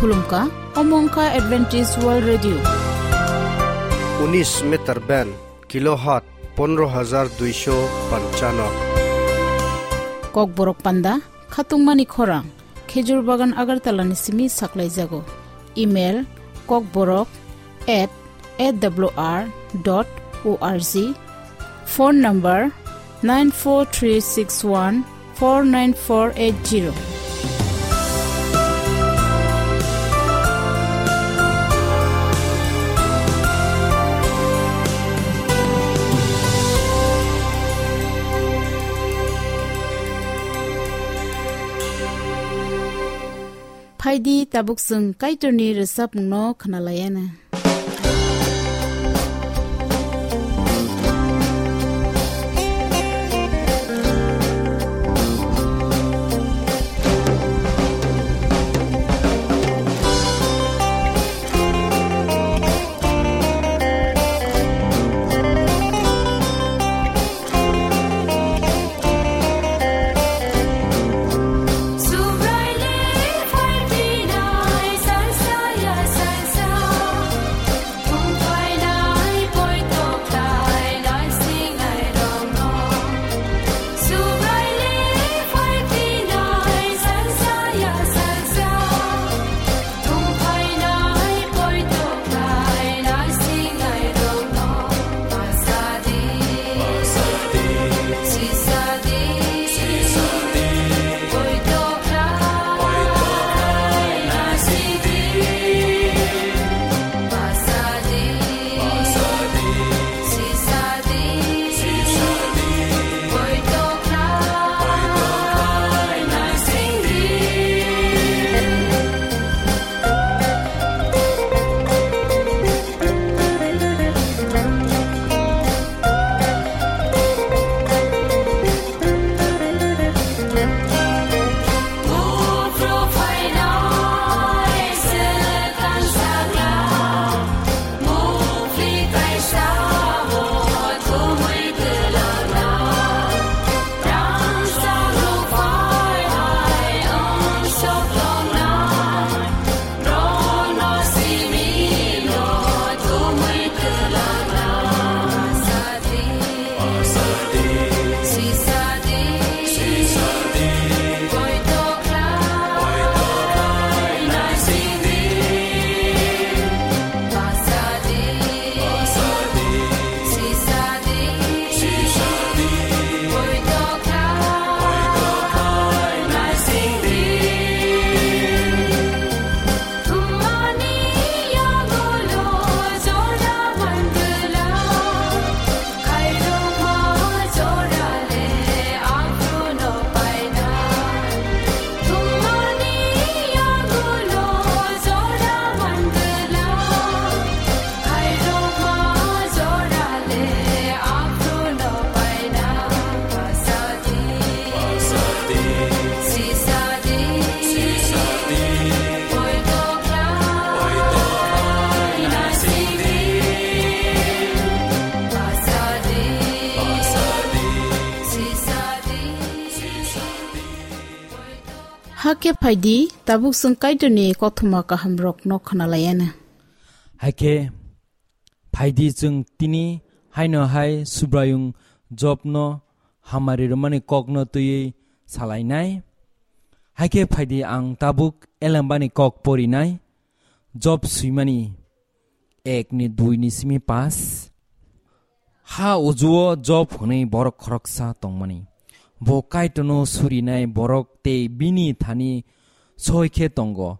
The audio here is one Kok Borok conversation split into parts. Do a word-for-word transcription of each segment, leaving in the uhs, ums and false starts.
Khulumkha, omo wngkha Adventist World Radio. Unis meter band, kilohertz pondro hajar duisho panchano. Kokborok panda, khatungmani khorang, Khejur Bagan Agartala ni simi saklaijago. Email, kokborok at A W R dot O R G. Phone number nine four three six one four nine four eight zero. Phaidi tabuk chwng Kaitorni rwchapmungno khwnalaiana. Hakhe phaidi, tabuk chwng Kaitorni kothoma kahamrokno khwnalaiana. Hakhe phaidi, chwng tini haino hai Subraiyung Jobno hamari rwmani kokno twiwi salainai. Hakhe phaidi, ang tabuk Elembani kok porinai, Job swimani ek ni dui ni simi pas. Ha ujuo Job hwnwi borok khoroksa tongmani. Bo Kaitorno surinai borok tei bini thani soi khe tongo.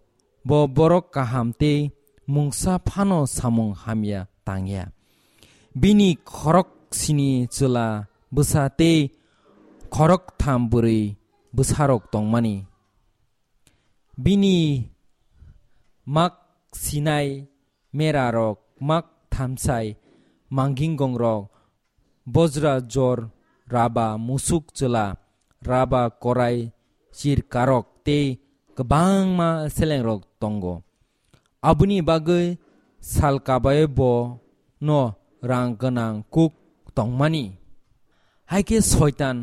Bo borok kaham tei mungsa phano samung hamya tangya. Bini khorok sini chwla bwsa tei khorok tham bwrwi bwsarok tongmani. Bini mak sinai merarok, mak thamsai manginggongrok, bojra jor, raba musuk chwla, raba korai chirkarok tei kwbangma selengrok tongo. Aboni bagwi sal kabai bo no rang gwnang kuk tongmani. Hai khe Soitan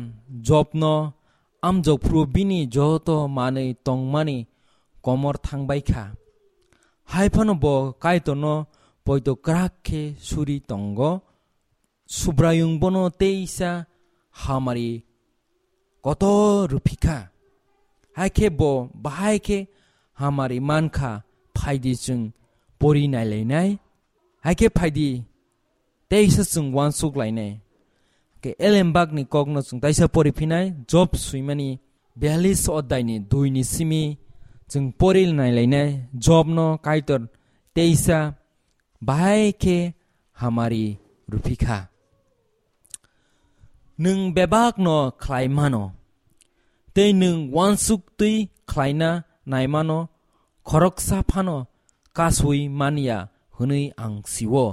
Jobno amjokphru bini joto manwi tongmani komor thangbai kha. Hai phano bo Kaitorno poito kwrak khe suri tongo. Subraiyung bono teisa hamari kotor rwphi kha. Hai khe bo bahai khe hamari man kha, phaidi chwng pori nailainai. Hai khe phaidi teisa chwng uansuk lainai. Khe Elembakni kokno chwng taisa pori phinai, Job swimani bialis oddaini duini simi chwng pori nailainai, Jobno Kaitor teisa bahai khe hamari rwphi kha. Nwng bebakno khlai mano, tei nwng uansuk twi khlaina naimano khoroksa phano kasui man ya hwnwi ang sio.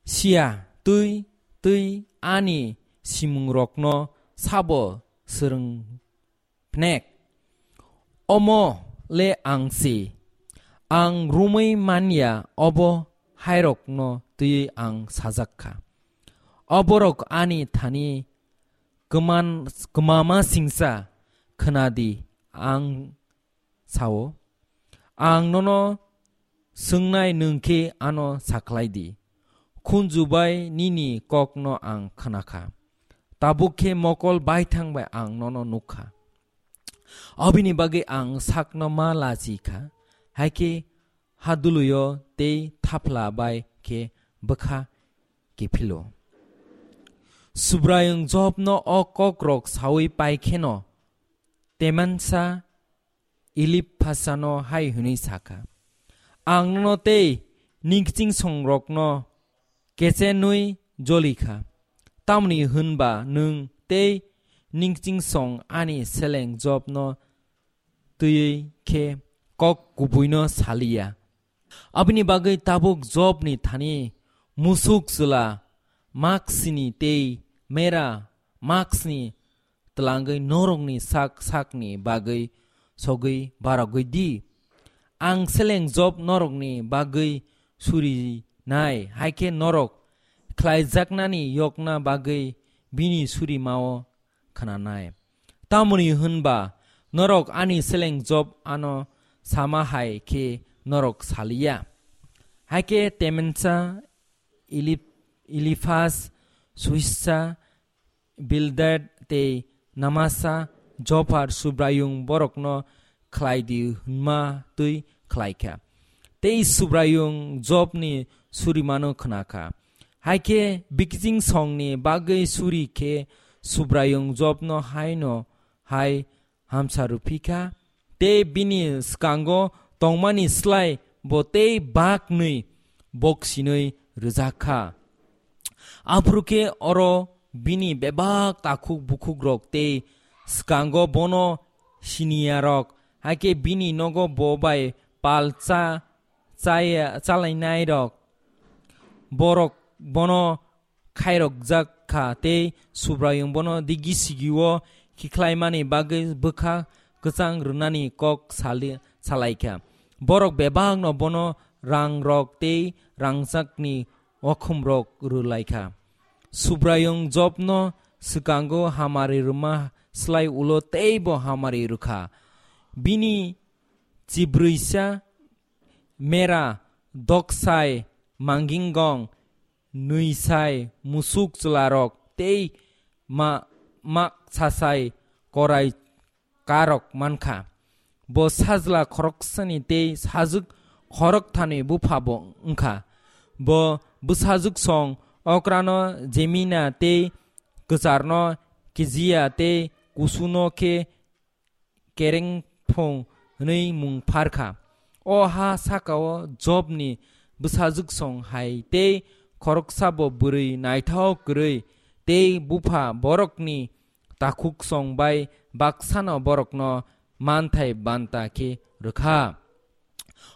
Siya twi twi ani simungrokno sabo swrwng phnek. Omo le ang se, ang romwi man ya obo hairokno twiwi ang sajak kha. Oborok ani thani kwman-, kwmama singcha khwnadi, ang sao. Ang nono swngnai, nwng khe ano sakhlai di. Khunju bai nini kokno ang khna kha. Tabuk khe mokol baithang bai ang nono nuk kha. Abini bagwi ang sakno ma lachi kha. Hai khe haduluyo tei thapla bai khe bwkha kiphilo. Subraiyung Jobno o kokrok saui pai kheno, Temansa Eliphasano hai hwnwi sa kha, "Ang nono tei ningkching songrokno kechenwi joli kha, tamni hwn ba nwng tei ningkching song ani seleng Jobno twiwi khe kok kubuino saliya." Aboni bagwi tabuk Jobni thani musuk chwla maksini tei mera maksni twlangwi norokni sak sakni bagwi sogwi barogwi di. Ang seleng Job norokni bagwi surinai, hai khe norok khlaijaknani yokna bagwi bini surimao khnanai. Tamoni hwn ba norok ani seleng Job ano sama hai khe norok saliya. Hai khe Temensa, Ilip-, Ilifas, Suhissa, Bildad tei Namasa Jophar Subraiyung borokno khlai di hwnma twi khlai kha. Tei Subraiyung Jobni surimano khna kha. Hai khe bikiching songni bagwi suri khe Subraiyung Jobno haino hai hamsa rwphi kha, tei bini swkango tongmani slai bo tei baknwi boksinwi rwjak kha. Aphuru khe oro bini bebak takhuk bukhukrok tei swkango bono siniyarok, hai khe bini nogo bo bai pal cha-, chaya-, chalainairok, borok bono khairokjak kha tei Subraiyung bono digi sigio khikhlaimani bagwi bwkha kwchang rwnani kok sali-, salai kha. Borok bebakno bono rangrok tei rangchakni okhumrok rwlai kha. Subraiyung Jobno swkango hamari rwma slai ulo teibo hamari rwkha. Bini chibrwisa mera, doksai, mangingong, nwisai, musuk chwlarok tei ma-, maksasai korai karok mankha. Bo sajla khoroksani tei sajwk khorokthani bupha bo wngkha. Bo bwsajwk song okrano Jemina tei kwcharno Kijiya tei kusuno khe Kerengphung hwnwi mung phar kha. O ha sakao Jobni bwsajwk song hai tei khoroksa bo bwrwi naithok kwrwi tei bupha borokni takhuk song bai baksano borokno manthai banta khe rwkha.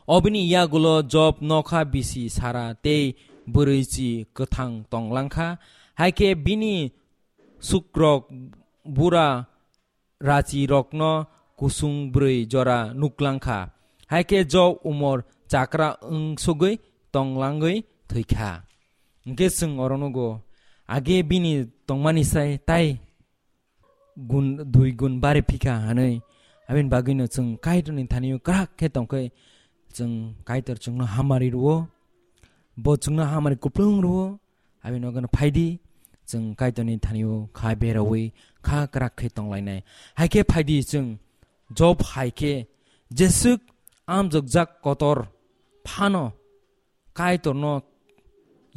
Obini yagulo Job nokha bisi sara tei bwrwichi kwthang tonglang kha, hai khe bini sukrok bura rachirokno kusung bwrwi jora nuklang kha. Hai khe Job umor chakra wng sogwi tonglangwi thwi kha. Hwnkhe chwng oro nugo, age bini tongmani sai tai gun, dui gun bari phikha hwnwi. Abini bagwino chwng Kaitorni thani-o kwrak khe tongkhai, chwng Kaitor chwngno hamari rwo, bo chwngno hamari kuplung rwo, abini bagwino phaidi chwng Kaitorni thanio kha beraui kha kwrak khe tonglainai. Hai khe phaidi chwng Job hai khe jeswk amjokjak kotor phano Kaitorno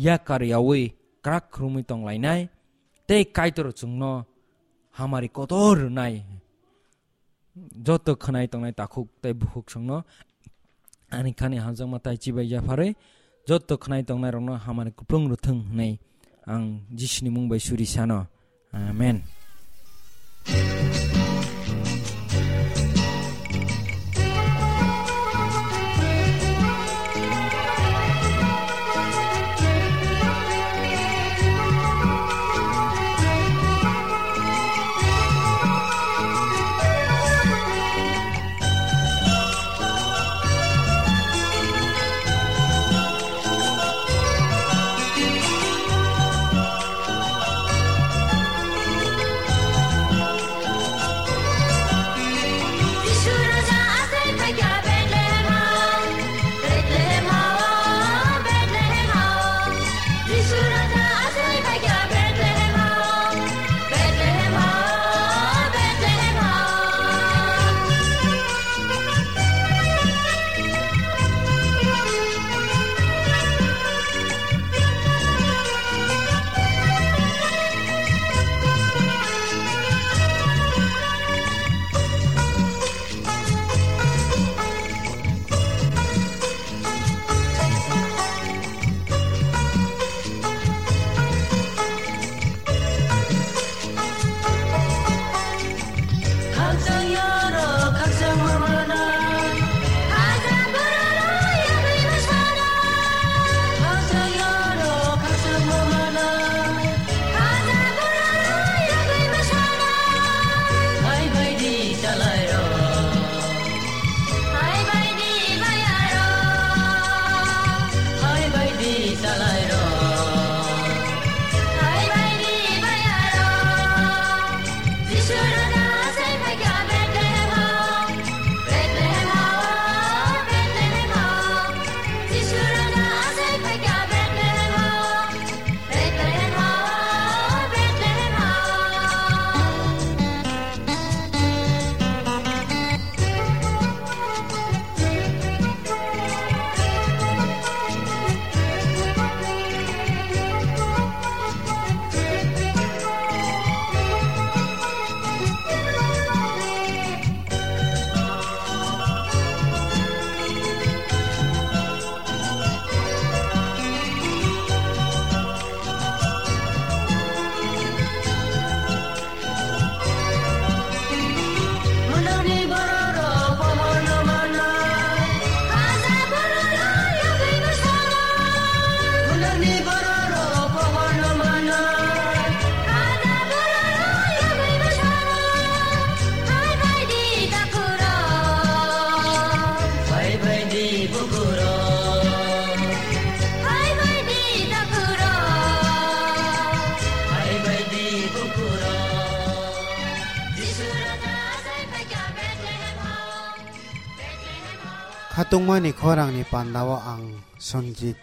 yakar yaui kwrak khurumui tonglainai, tei Kaitor chwngno hamari kotor rwnai. Joto khwnai tongnai takhuk tei bukhuk songno ani khani hamjakma tai chibai yapharwi joto khwnai tongnai rokno hamari kuplung rwthwng hwnwi ang Jisuni mung bai suri sano. Amen. Khatungmani khorangni pandao ang Sanjit.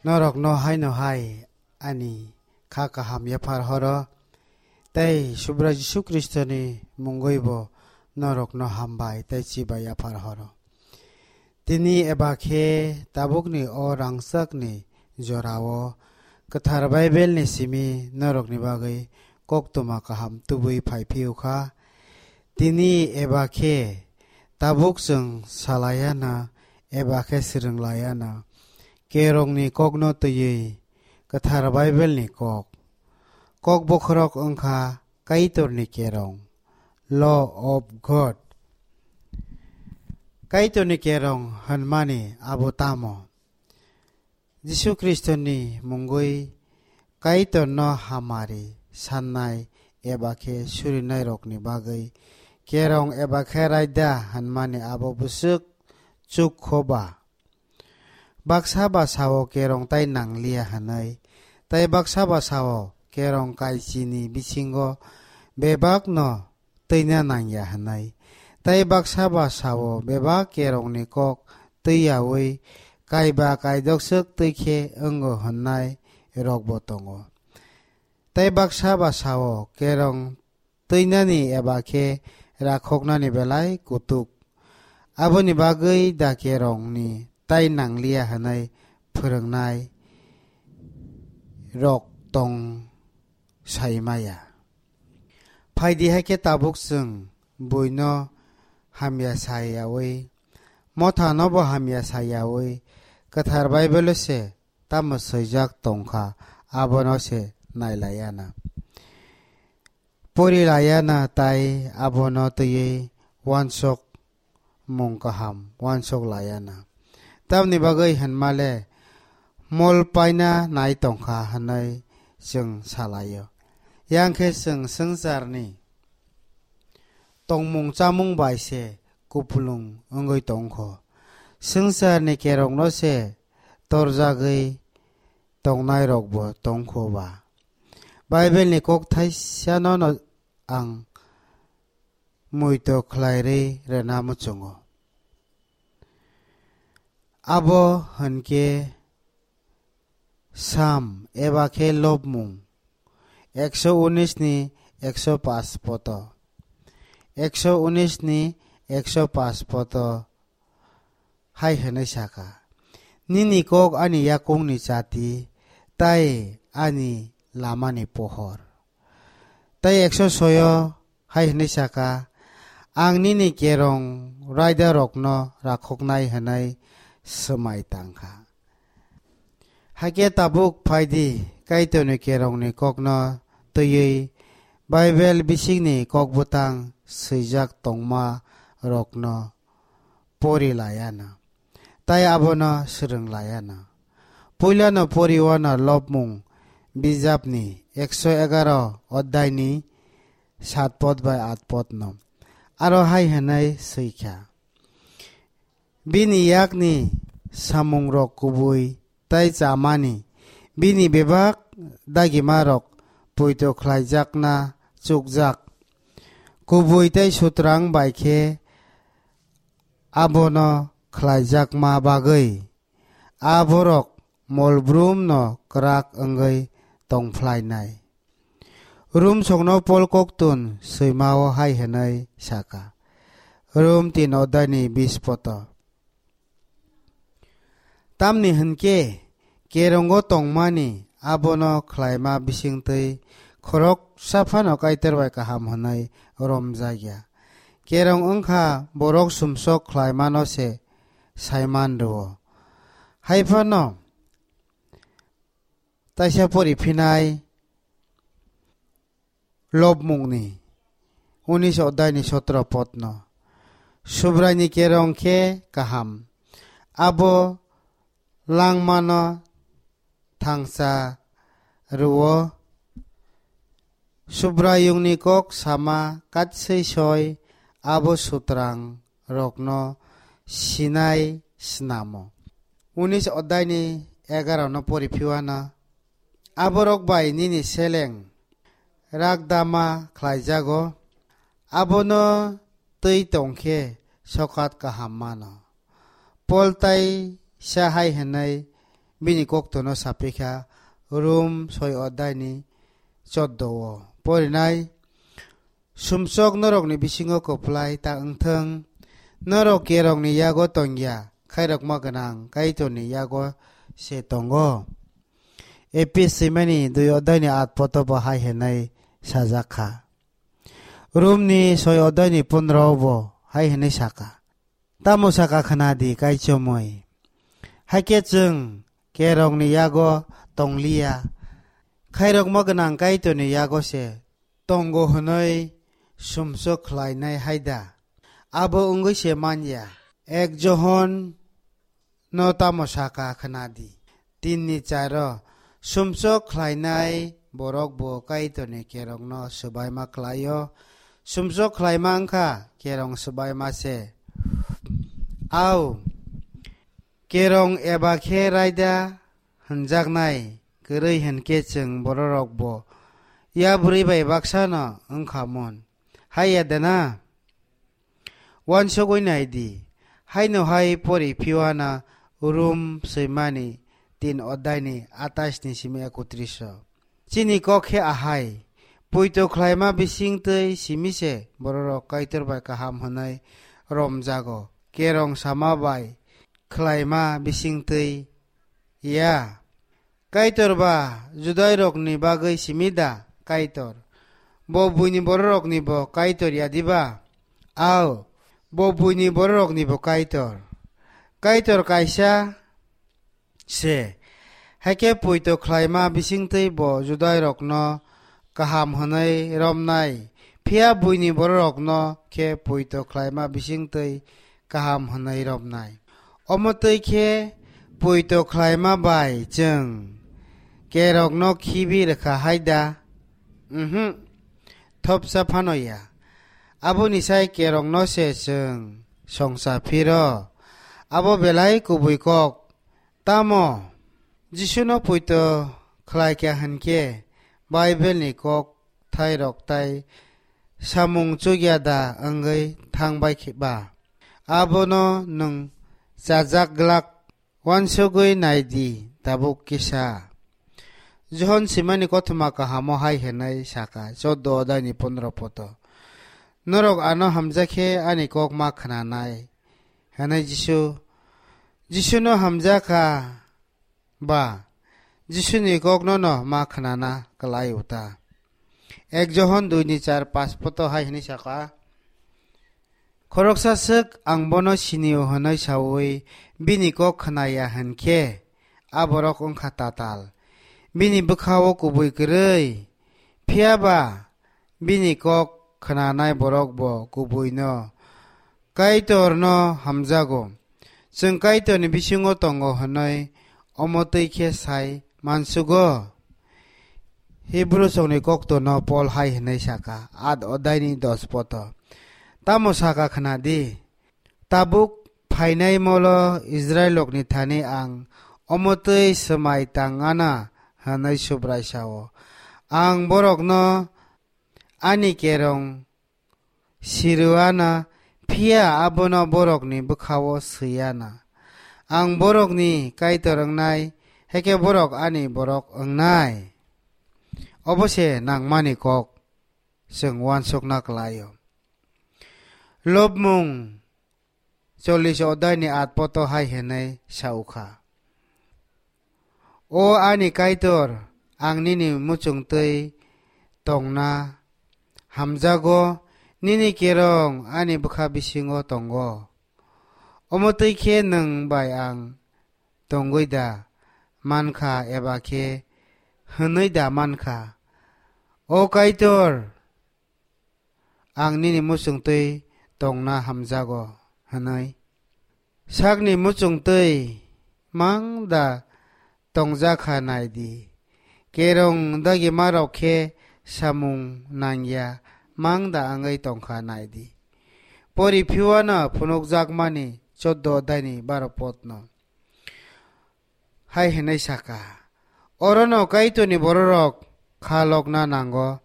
Norokno haino hai ani kha kaham yaphar horo, tei Subrai Jisu Khristoni mungwi bo norokno hambai tei chibai yaphar horo. Tini eba khe tabukni o rangchakni jorao Kwthar Baibelni simi norokni bagwi koktwma kaham tubui phai phiyok kha. Tini eba khe tabuk chwng salaiya na eba khe swrwng laiya na, kerongni kokno twiwi Kwthar Baibelni kok. Kok bokhorok wngkha Kaitorni kerong, Law of God. Kaitorni kerong hwnmani abo tamo? Jisu Khristoni mungwi Kaitorno hamari sannai eba khe surinairokni bagwi kerong eba khe raida hwnmani abo bwswk chuk kho ba? Baksa ba sao kerong tai nangliya hwnwi, tei baksa ba sao kerong kaichini bisingo bebakno twina nangya hwnwi, tei baksa ba sao bebak kerongni kok twi yaui kaiba kaidokswk twi khe wngo hwnnai rokbo tongo. Tei baksa ba sao, kerong twinani eba khe rakhoknani belai kutuk. Aboni bagwi da kerongni tai nangliya hwnwi phwrwngnai rok tong sai maya. Phaidi hai khe tabuk chwng buino hamya sa yaui, mothanobo hamya sa yaui, kwthar Baibelo se tamo swijak tongkha, abono se nailayana, porilaiana tai abono twiwi uansuk mung kaham uansuk laiana. Tamni bagwi hwnmale mol paina nai tongkha hwnwi chwng salaio. Yang khe chwng swngcharni tongmung chamung bai se kupulung wngwi tongkho. Swngcharni kerongno se torjagwi tongnai rokbo tongkho ba. Bible ni kok thaisa no no ang muitu khlai rwi rwna muchungo. Abo hwnkhe Sam eba khe lobmung ekso unis ni ekso paanch poto. Ekso unis ni ekso paanch poto hai hwnwi saka, "Nini kok ani yakungni chati, tai ani lamani pohor." Tai ekso soyo hai hwnwi saka, "Ang nini kerong raidarokno rakhoknai hwnwi swmai tangkha." Hakhe tabuk phaidi, Kaitorni kerongni kokno twiwi Bible bisingni kokbwtang swijak tongma rokno pori layana, tai abono swrwng layana. Puilano poriwano lobmung bijapni ekso egaroh oddaini saat pod bai aat podno. Aro hai hwnwi swikha, bini yakni samungrok kubui tai chamani, bini bebak dagimarok poito khlaijakna chukjak. Kubui tai sutrang bai khe abono khlaijakma bagwi a borok molbrumno kwrak wngwi tongphlainai. Rum songno Pol koktun swimao hai hwnwi saka, Rum tin oddaini bis poto. Tamni hwnkhe, kerongo tongmani abono khlaima bisingtwi khoroksa phano Kaitor bai kaham hwnwi romjakya. Kerong wngkha borok sumsok khlaimano se saiman rwo. Hai phano taisa pori phinai lobmungni unis oddaini sotro podno. Subraini kerong khe kaham. Abo langmano thangsa rwo. Subraiyungni kok sama katswi soi abo sutrang rokno sinai snamo. Unis oddaini egaroh no pori phiwana, aborok bai nini seleng rakdama khlaijago, abono twi tongkhe sokat kaham mano. Pol tai sa hai hwnwi bini koktono sapikha, Rum soi oddaini choddo o porinai. Sumsok norokni bisingo kwplai ta wngthwng, norok kerongni yago tongya, khairokma gwnang Kaitorni yago se tongo. Epis swimani dui oddaini aat poto bo hai hwnwi sajak kha. Rumni soi oddaini pondro bo hai hwnwi saka, tamo saka khna di kaichomwi. Hakhe chwng kerongni yago tongliya, khairokma gwnang Kaitorni yago se tongo hwnwi sumsok khlainai hai da? Abo wngwi se man ya. Ek Johon no tamo saka khna di. Tinni charo sumsok khlainai borok bo Kaitorni kerongno swbaima khlaio. Sumsok khlaima wngkha kerong swbaima se. Au, kerong eba khe raida hwnjaknai kwrwi hwnkhe chwng bororok bo yabrwi bai baksano wngkha mun. Hai ya de na? Uansugwi nai di, Haino hai pori phiwana Rum swimani tin odai ni atais ni simi ekotris o. Chini kok khe ahai, poito khlaima bising twi simi se bororok Kaitor bai kaham hwnwi romjago, kerong sama bai khlaima bising twi ya. Kaitor ba Judairokni bagwi simi da Kaitor? Bo buini bororokni bo Kaitor ya diba? Ao, bo buini bororokni bo Kaitor. Kaitor kaisa se, hakhe poito khlaima bisingtwi bo Judairokno kaham hwnwi romnai, phiya buini bororokno khe poito khlaima bisingtwi kaham hwnwi romnai. Omo twi khe poito khlaima bai chwng kerokno khibi rwkha hai da? Umhu, thopsa phano ya. Aboni sai kerokno se chwng songcha phiro. Abo belai kubui kok. Tamo Jisuno poito khlai kha hwn khe Bible ni kok thairok tai samung chukya da wngwi thang bai khe ba? Abono nwng chajak glak. Uansugwi nai di, tabuk kisa. Johon simani kothoma kahamo hai hwnwi saka, choddo odaini pondro poto, "Norok ano hamjak khe ani kok ma khnanai," hwnwi Jisu, Jisuno hamjakha ba Jisuni kokno no ma khnana kwlai uta. Ek Johon dui ni char pas poto hai hwnwi saka, "Khoroksa swk ang bono sinio hwnwi saui bini kok khnaya hwn khe, a borok wngkha tatal, bini bwkha-o kubui kwrwi. Phiya ba bini kok khnanai borok bo kubuino Kaitorno hamjago. Chwng Kaitorni bisingo tongo hwnwi omo twi khe sai mansugo." Hibru songni koktono Pol hai hwnwi saka, at odaini dos poto, "Tamo saka khna di, tabuk phainai molo Israilrokni thani ang omo twi swmai tangana hwnwi Subrai sao. Ang borokno ani kerong sirwano, phiya abono borokni bwkha-o swiyano. Ang borokni Kaitor wngnai, hakhe borok ani borok wngnai." Obo se nangmani kok, chwng uansukna kwlai-o. Lobmung chollish odaini at poto hai hwnwi sa ukha, "O ani Kaitor, ang nini muchung twi tongna hamjago, nini kerong ani bwkha bisingo tongo. Omo twi khe nwng bai ang tongwi da mankha eba khe hwnwi da mankha, 'O Kaitor, ang nini muchung twi tongna hamjago,' hwnwi? Sakni muchung twi mang da tongjakha nai di. Kerong dagimarok khe samung nangya mang da wngwi tongkha nai di." Pori phiwano phunukjakmani choddo odaini baro potno hai hwnwi saka, "Orono Kaitorni bororok kha lokna nango.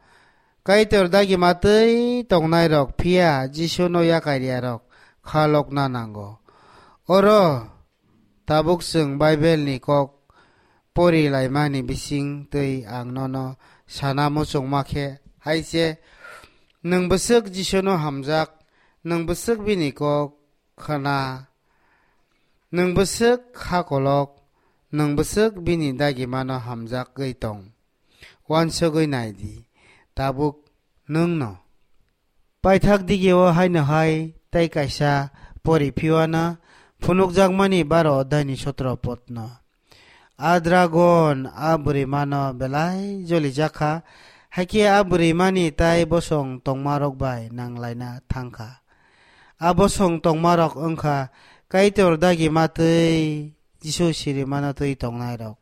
Kaitor dagima twi tongnairok phiya Jisuno yakariyarok kha lokna nango." Oro tabuk chwng Bible ni kok pori laimani bising twi ang nono sana muchungma khe hai se, nwng bwswk Jisuno hamjak, nwng bwswk bini kok khna, nwng bwswk kha kolok, nwng bwswk bini dagimano hamjagwi tong. Uansugwi nai di, tabuk nwng no. Paithak digio haino hai tei kaisa pori phiwana phunukjakmani baro odaini sotro potno. A dragon a bwrwimano belai jolijakha, hakhe a bwrwimani tai bosong tongmarok bai nanglaina thangkha. A bosong tongmarok wngkha Kaitor dagima twi Jisu sirimano twi tongnairok.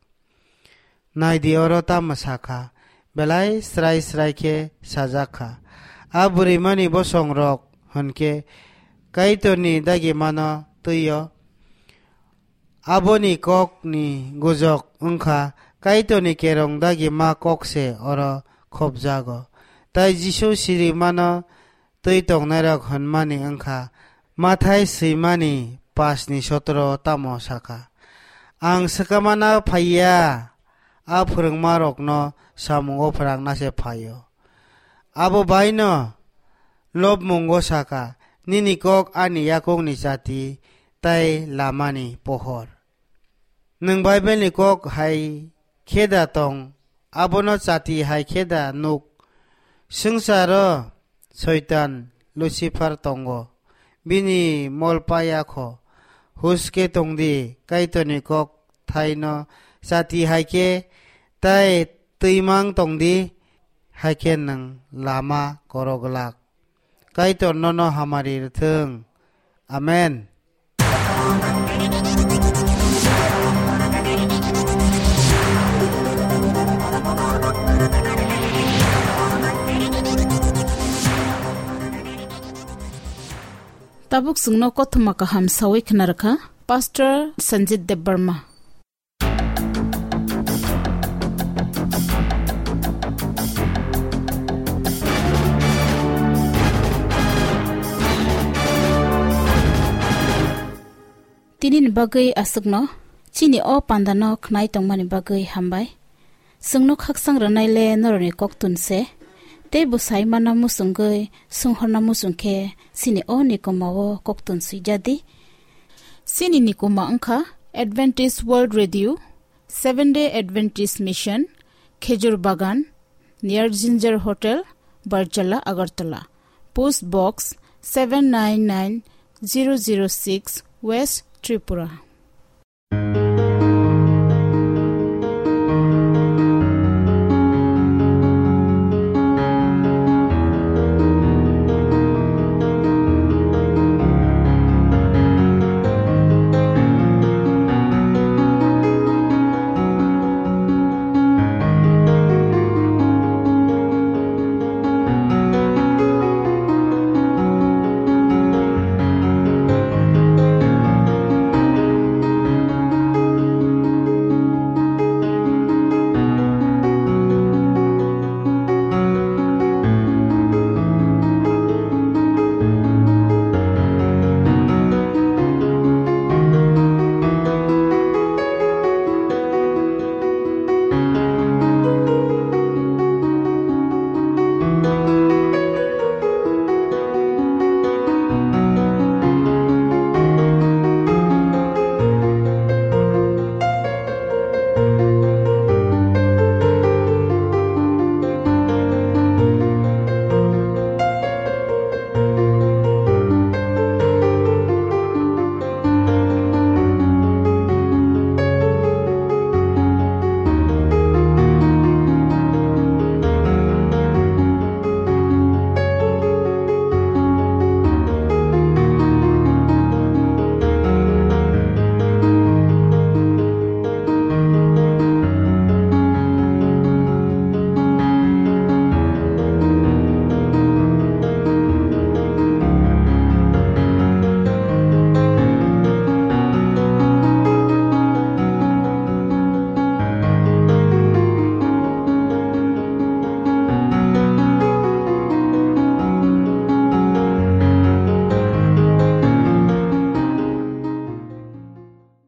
Nai di, oro tamo sakha, belai srai srai khe sajak kha. A bwrwimani bosongrok hwn khe Kaitorni dagimano twi-o. Aboni kokni gujok wng kha Kaitorni kerong dagima kok se oro khopjago. Tai Jisu sirimano twi tongnairok hwnmani wng kha Mathai swimani Pasni sotro tamo sakha, "Ang swkamana phaiya, a phwrwngmarokno samungo phrangna se phaio." Abo baino lobmungo sakha, "Nini kok ani yakungni chati tai lamani pohor." Nwng Bible-ni kok hai khe da tong, abono chati hai khe da nuk? Swngcharo Soitan Lucifer tongo, bini mol paya kho. Huske tongdi, Kaitorni kok thaino chati hai khe, tai twimang tongdi, hai khe nwng lama korok glak. Kaitor nono hamari rwthwng. Amen. Tabuk chwngno kothoma kaham sawi khna rwkha Pastor Sanjit Debbarma. Tini ni bagwi aswkno, chini o panda no khnai tongmani bagwi hambai. Chwngno khaksang rwnai le norokni koktun se, tei bwsai mana muchungwi swnghorna muchung khe chini o nikoma o koktun swijadi. Chini nikoma wngkha Adventist World Radio, Seventh Day Adventist Mission, Khejur Bagan, near Ginger Hotel, Barjala, Agartala. Post Box seven nine nine zero zero six, West Tripura.